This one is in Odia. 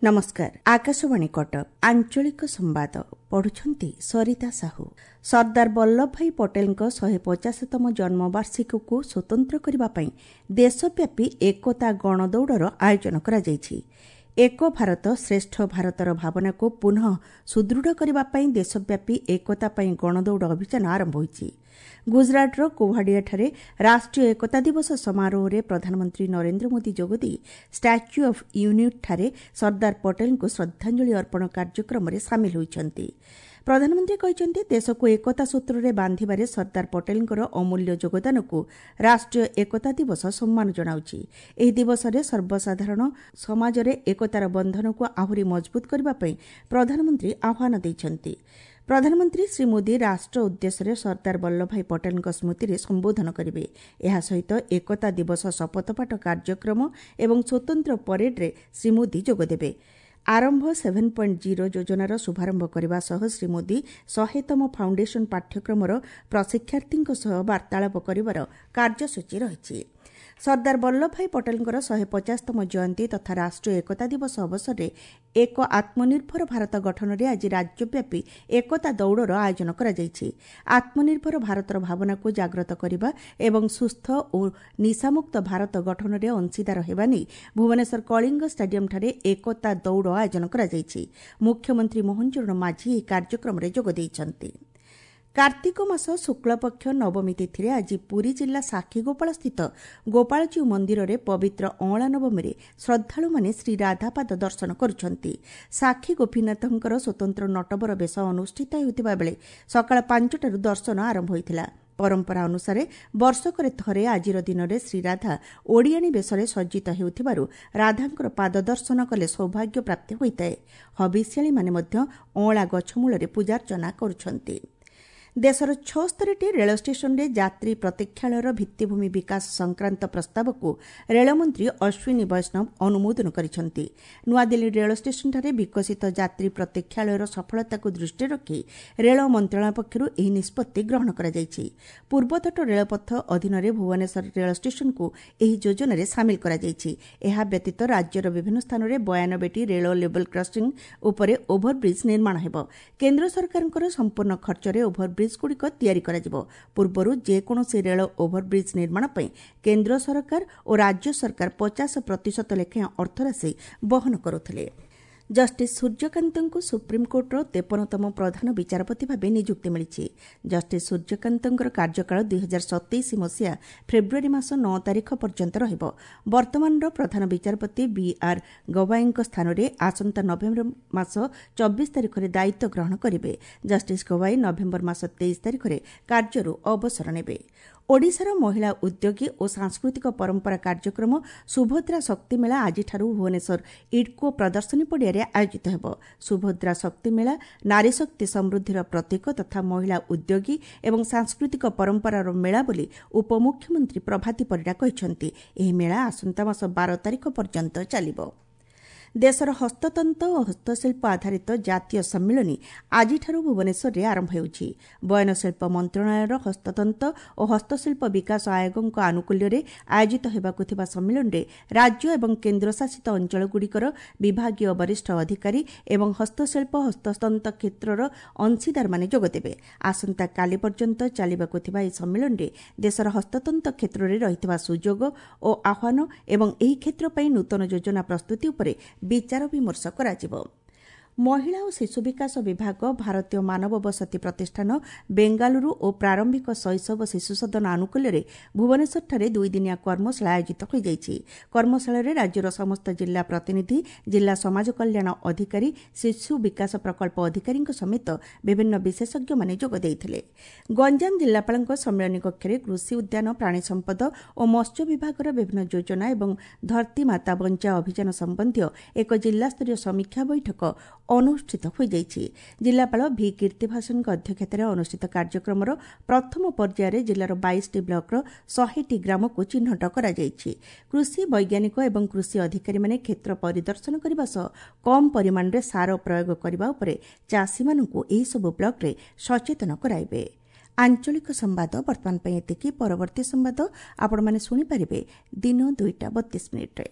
ନମସ୍କାର, ଆକାଶବାଣୀ କଟକ। ଆଞ୍ଚଳିକ ସମ୍ବାଦ ପଢୁଛନ୍ତି ସରିତା ସାହୁ। ସର୍ଦ୍ଦାର ବଲ୍ଲଭଭାଇ ପଟେଲଙ୍କ 150ତମ ଜନ୍ମବାର୍ଷିକୀକୁ ସ୍ୱତନ୍ତ୍ର କରିବା ପାଇଁ ଦେଶବ୍ୟାପୀ ଏକତା ଗଣଦୌଡ଼ର ଆୟୋଜନ କରାଯାଇଛି। ଏକ ଭାରତ ଶ୍ରେଷ୍ଠ ଭାରତର ଭାବନାକୁ ପୁନଃ ସୁଦୃଢ଼ କରିବା ପାଇଁ ଦେଶବ୍ୟାପୀ ଏକତା ପାଇଁ ଗଣଦୌଡ଼ ଅଭିଯାନ ଆରମ୍ଭ ହୋଇଛି। ଗୁଜରାଟର କୋଭାଡିଆଠାରେ ରାଷ୍ଟ୍ରୀୟ ଏକତା ଦିବସ ସମାରୋହରେ ପ୍ରଧାନମନ୍ତ୍ରୀ ନରେନ୍ଦ୍ର ମୋଦି ଯୋଗଦେଇ ଷ୍ଟାଚ୍ୟୁ ଅଫ୍ ୟୁନିଟ୍ଠାରେ ସର୍ଦ୍ଦାର ପଟେଲଙ୍କୁ ଶ୍ରଦ୍ଧାଞ୍ଜଳି ଅର୍ପଣ କାର୍ଯ୍ୟକ୍ରମରେ ସାମିଲ ହୋଇଛନ୍ତି। ପ୍ରଧାନମନ୍ତ୍ରୀ କହିଛନ୍ତି, ଦେଶକୁ ଏକତା ସୂତ୍ରରେ ବାନ୍ଧିବାରେ ସର୍ଦ୍ଦାର ପଟେଲଙ୍କର ଅମୂଲ୍ୟ ଯୋଗଦାନକୁ ରାଷ୍ଟ୍ରୀୟ ଏକତା ଦିବସ ସମ୍ମାନ ଜଣାଉଛି। ଏହି ଦିବସରେ ସର୍ବସାଧାରଣ ସମାଜରେ ଏକତାର ବନ୍ଧନକୁ ଆହୁରି ମଜବୁତ କରିବା ପାଇଁ ପ୍ରଧାନମନ୍ତ୍ରୀ ଆହ୍ୱାନ ଦେଇଛନ୍ତି। ପ୍ରଧାନମନ୍ତ୍ରୀ ଶ୍ରୀ ମୋଦି ରାଷ୍ଟ୍ର ଉଦ୍ଦେଶ୍ୟରେ ସର୍ଦ୍ଦାର ବଲ୍ଲଭଭାଇ ପଟେଲଙ୍କ ସ୍ମୃତିରେ ସମ୍ବୋଧନ କରିବେ। ଏହା ସହିତ ଏକତା ଦିବସ ଶପଥପାଠ କାର୍ଯ୍ୟକ୍ରମ ଏବଂ ସ୍ୱତନ୍ତ୍ର ପରେଡ୍ରେ ଶ୍ରୀ ମୋଦି ଯୋଗଦେବେ। ଆରମ୍ଭ 7.0 ଯୋଜନାର ଶୁଭାରମ୍ଭ କରିବା ସହ ଶ୍ରୀ ମୋଦି 100ତମ ଫାଉଣ୍ଡେସନ ପାଠ୍ୟକ୍ରମର ପ୍ରଶିକ୍ଷାର୍ଥୀଙ୍କ ସହ ବାର୍ତ୍ତାଳାପ କରିବାର କାର୍ଯ୍ୟସୂଚୀ ରହିଛି। ସର୍ଦ୍ଦାର ବଲ୍ଲଭଭାଇ ପଟେଲଙ୍କର 150ତମ ଜୟନ୍ତୀ ତଥା ରାଷ୍ଟ୍ରୀୟ ଏକତା ଦିବସ ଅବସରରେ ଏକ ଆତ୍ମନିର୍ଭର ଭାରତ ଗଠନରେ ଆଜି ରାଜ୍ୟବ୍ୟାପୀ ଏକତା ଦୌଡ଼ର ଆୟୋଜନ କରାଯାଇଛି। ଆତ୍ମନିର୍ଭର ଭାରତର ଭାବନାକୁ ଜାଗ୍ରତ କରିବା ଏବଂ ସୁସ୍ଥ ଓ ନିଶାମୁକ୍ତ ଭାରତ ଗଠନରେ ଅଂଶୀଦାର ହେବା ନେଇ ଭୁବନେଶ୍ୱର କଳିଙ୍ଗ ଷ୍ଟାଡିୟମ୍ଠାରେ ଏକତା ଦୌଡ଼ ଆୟୋଜନ କରାଯାଇଛି। ମୁଖ୍ୟମନ୍ତ୍ରୀ ମୋହନ ଚରଣ ମାଝୀ ଏହି କାର୍ଯ୍ୟକ୍ରମରେ ଯୋଗ ଦେଇଛନ୍ତି। କାର୍ତ୍ତିକ ମାସ ଶୁକ୍ଳପକ୍ଷ ନବମୀ ତିଥିରେ ଆଜି ପୁରୀ ଜିଲ୍ଲା ସାକ୍ଷୀଗୋପାଳସ୍ଥିତ ଗୋପାଳଜୀଉ ମନ୍ଦିରରେ ପବିତ୍ର ଅଁଳା ନବମୀରେ ଶ୍ରଦ୍ଧାଳୁମାନେ ଶ୍ରୀରାଧାପାଦ ଦର୍ଶନ କରୁଛନ୍ତି। ସାକ୍ଷୀ ଗୋପୀନାଥଙ୍କର ସ୍ୱତନ୍ତ୍ର ନଟବର ବେଶ ଅନୁଷ୍ଠିତ ହେଉଥିବା ବେଳେ ସକାଳ 5ଟାରୁ ଦର୍ଶନ ଆରମ୍ଭ ହୋଇଥିଲା। ପରମ୍ପରା ଅନୁସାରେ ବର୍ଷକରେ ଥରେ ଆଜିର ଦିନରେ ଶ୍ରୀରାଧା ଓଡ଼ିଆଣୀ ବେଶରେ ସଜ୍ଜିତ ହେଉଥିବାରୁ ରାଧାଙ୍କର ପାଦ ଦର୍ଶନ କଲେ ସୌଭାଗ୍ୟ ପ୍ରାପ୍ତି ହୋଇଥାଏ। ହବିଷ୍ୟାଳୀମାନେ ମଧ୍ୟ ଅଁଳା ଗଛ ମୂଳରେ ପୂଜାର୍ଚ୍ଚନା କରୁଛନ୍ତି। ଦେଶର 76ଟି ରେଳ ଷ୍ଟେସନରେ ଯାତ୍ରୀ ପ୍ରତୀକ୍ଷାଳୟର ଭିତ୍ତିଭୂମି ବିକାଶ ସଂକ୍ରାନ୍ତ ପ୍ରସ୍ତାବକୁ ରେଳମନ୍ତ୍ରୀ ଅଶ୍ୱିନୀ ବୈଷ୍ଣବ ଅନୁମୋଦନ କରିଛନ୍ତି। ନୂଆଦିଲ୍ଲୀ ରେଳ ଷ୍ଟେସନଠାରେ ବିକଶିତ ଯାତ୍ରୀ ପ୍ରତୀକ୍ଷାଳୟର ସଫଳତାକୁ ଦୃଷ୍ଟିରେ ରଖି ରେଳ ମନ୍ତ୍ରଣାଳୟ ପକ୍ଷରୁ ଏହି ନିଷ୍ପତ୍ତି ଗ୍ରହଣ କରାଯାଇଛି। ପୂର୍ବତଟ ରେଳପଥ ଅଧୀନରେ ଭୁବନେଶ୍ୱର ରେଳ ଷ୍ଟେସନକୁ ଏହି ଯୋଜନାରେ ସାମିଲ କରାଯାଇଛି। ଏହା ବ୍ୟତୀତ ରାଜ୍ୟର ବିଭିନ୍ନ ସ୍ଥାନରେ 92ଟି ରେଳ ଲେବଲ କ୍ରସିଂ ଉପରେ ଓଭରବ୍ରିଜ୍ ନିର୍ମାଣ ହେବ। କେନ୍ଦ୍ର ସରକାରଙ୍କର ସମ୍ପୂର୍ଣ୍ଣ ଖର୍ଚ୍ଚରେ ଓଭରବ୍ରିଜ୍ ଗୁଡ଼ିକ ତିଆରି କରାଯିବ। ପୂର୍ବରୁ ଯେକୌଣସି ରେଳ ଓଭରବ୍ରିଜ୍ ନିର୍ମାଣ ପାଇଁ କେନ୍ଦ୍ର ସରକାର ଓ ରାଜ୍ୟ ସରକାର 50% ଲେଖାଏଁ ଅର୍ଥରାଶି ବହନ କରୁଥିଲେ। ଜଷ୍ଟିସ୍ ସୂର୍ଯ୍ୟକାନ୍ତଙ୍କୁ ସୁପ୍ରିମକୋର୍ଟର 53ତମ ପ୍ରଧାନ ବିଚାରପତି ଭାବେ ନିଯୁକ୍ତି ମିଳିଛି। ଜଷ୍ଟିସ୍ ସୂର୍ଯ୍ୟକାନ୍ତଙ୍କର କାର୍ଯ୍ୟକାଳ 2027 ମସିହା ଫେବୃଆରୀ ମାସ 9 ତାରିଖ ପର୍ଯ୍ୟନ୍ତ ରହିବ। ବର୍ତ୍ତମାନର ପ୍ରଧାନ ବିଚାରପତି ବି ଆର୍ ଗୱାଇଙ୍କ ସ୍ଥାନରେ ଆସନ୍ତା ନଭେମ୍ବର ମାସ 24 ତାରିଖରେ ଦାୟିତ୍ୱ ଗ୍ରହଣ କରିବେ। ଜଷ୍ଟିସ୍ ଗୱାଇ ନଭେମ୍ବର ମାସ 23 ତାରିଖରେ କାର୍ଯ୍ୟରୁ ଅବସର ନେବେ। ଓଡ଼ିଶାର ମହିଳା ଉଦ୍ୟୋଗୀ ଓ ସାଂସ୍କୃତିକ ପରମ୍ପରା କାର୍ଯ୍ୟକ୍ରମ ସୁଭଦ୍ରା ଶକ୍ତି ମେଳା ଆଜିଠାରୁ ଭୁବନେଶ୍ୱର ଇଡ୍କୋ ପ୍ରଦର୍ଶନୀ ପଡ଼ିଆରେ ଆୟୋଜିତ ହେବ। ସୁଭଦ୍ରା ଶକ୍ତି ମେଳା ନାରୀଶକ୍ତି ସମୃଦ୍ଧିର ପ୍ରତୀକ ତଥା ମହିଳା ଉଦ୍ୟୋଗୀ ଏବଂ ସାଂସ୍କୃତିକ ପରମ୍ପରାର ମେଳା ବୋଲି ଉପମୁଖ୍ୟମନ୍ତ୍ରୀ ପ୍ରଭାତୀ ପରିଡ଼ା କହିଛନ୍ତି। ଏହି ମେଳା ଆସନ୍ତା ମାସ 12 ତାରିଖ ପର୍ଯ୍ୟନ୍ତ ଚାଲିବ। ଦେଶର ହସ୍ତତନ୍ତ ଓ ହସ୍ତଶିଳ୍ପ ଆଧାରିତ ଜାତୀୟ ସମ୍ମିଳନୀ ଆଜିଠାରୁ ଭୁବନେଶ୍ୱରରେ ଆରମ୍ଭ ହେଉଛି। ବୟନଶିଳ୍ପ ମନ୍ତ୍ରଣାଳୟର ହସ୍ତତନ୍ତ ଓ ହସ୍ତଶିଳ୍ପ ବିକାଶ ଆୟୋଗଙ୍କ ଆନୁକୂଲ୍ୟରେ ଆୟୋଜିତ ହେବାକୁ ଥିବା ସମ୍ମିଳନୀରେ ରାଜ୍ୟ ଏବଂ କେନ୍ଦ୍ରଶାସିତ ଅଞ୍ଚଳଗୁଡ଼ିକର ବିଭାଗୀୟ ବରିଷ୍ଠ ଅଧିକାରୀ ଏବଂ ହସ୍ତଶିଳ୍ପ ହସ୍ତତନ୍ତ କ୍ଷେତ୍ରର ଅଂଶୀଦାରମାନେ ଯୋଗଦେବେ। ଆସନ୍ତାକାଲି ପର୍ଯ୍ୟନ୍ତ ଚାଲିବାକୁ ଥିବା ଏହି ସମ୍ମିଳନୀରେ ଦେଶର ହସ୍ତତନ୍ତ କ୍ଷେତ୍ରରେ ରହିଥିବା ସୁଯୋଗ ଓ ଆହ୍ୱାନ ଏବଂ ଏହି କ୍ଷେତ୍ର ପାଇଁ ନୂତନ ଯୋଜନା ପ୍ରସ୍ତୁତି ଉପରେ ବିଚାର ବିମର୍ଶ କରାଯିବ। ମହିଳା ଓ ଶିଶୁ ବିକାଶ ବିଭାଗ, ଭାରତୀୟ ମାନବ ବସତି ପ୍ରତିଷ୍ଠାନ ବେଙ୍ଗାଲୁରୁ ଓ ପ୍ରାରମ୍ଭିକ ଶୈଶବ ଶିଶୁ ସଦନ ଆନୁକୂଲ୍ୟରେ ଭୁବନେଶ୍ୱରଠାରେ ଦୁଇଦିନିଆ କର୍ମଶାଳା ଆୟୋଜିତ ହୋଇଯାଇଛି। କର୍ମଶାଳାରେ ରାଜ୍ୟର ସମସ୍ତ ଜିଲ୍ଲା ପ୍ରତିନିଧି, ଜିଲ୍ଲା ସମାଜ କଲ୍ୟାଣ ଅଧିକାରୀ, ଶିଶୁ ବିକାଶ ପ୍ରକଳ୍ପ ଅଧିକାରୀଙ୍କ ସମେତ ବିଭିନ୍ନ ବିଶେଷଜ୍ଞମାନେ ଯୋଗ ଦେଇଥିଲେ। ଗଞ୍ଜାମ ଜିଲ୍ଲାପାଳଙ୍କ ସମ୍ମିଳନୀ କକ୍ଷରେ କୃଷି, ଉଦ୍ୟାନ, ପ୍ରାଣୀ ସମ୍ପଦ ଓ ମତ୍ସ୍ୟ ବିଭାଗର ବିଭିନ୍ନ ଯୋଜନା ଏବଂ ଧରତୀ ମାତା ବଞ୍ଚାଅ ଅଭିଯାନ ସମ୍ବନ୍ଧୀୟ ଏକ ଜିଲ୍ଲାସ୍ତରୀୟ ସମୀକ୍ଷା ବୈଠକ ଅନୁଷ୍ଠିତ ହୋଇଯାଇଛି। ଜିଲ୍ଲାପାଳ ଭି କୀର୍ତ୍ତିଭାସନଙ୍କ ଅଧ୍ୟକ୍ଷତାରେ ଅନୁଷ୍ଠିତ କାର୍ଯ୍ୟକ୍ରମର ପ୍ରଥମ ପର୍ଯ୍ୟାୟରେ ଜିଲ୍ଲାର 22ଟି ବ୍ଲକର 100ଟି ଗ୍ରାମକୁ ଚିହ୍ନଟ କରାଯାଇଛି। କୃଷି ବୈଜ୍ଞାନିକ ଏବଂ କୃଷି ଅଧିକାରୀମାନେ କ୍ଷେତ୍ର ପରିଦର୍ଶନ କରିବା ସହ କମ୍ ପରିମାଣରେ ସାର ପ୍ରୟୋଗ କରିବା ଉପରେ ଚାଷୀମାନଙ୍କୁ ଏହିସବୁ ବ୍ଲକରେ ସଚେତନ କରାଇବେ। ଆଞ୍ଚଳିକ ସମ୍ବାଦ ବର୍ତ୍ତମାନ ପାଇଁ ଏତିକି। ପରବର୍ତ୍ତୀ ସମ୍ବାଦ ଆପଣମାନେ ଶୁଣିପାରିବେ ଦିନ 2ଟା 32 ମିନିଟ୍ରେ।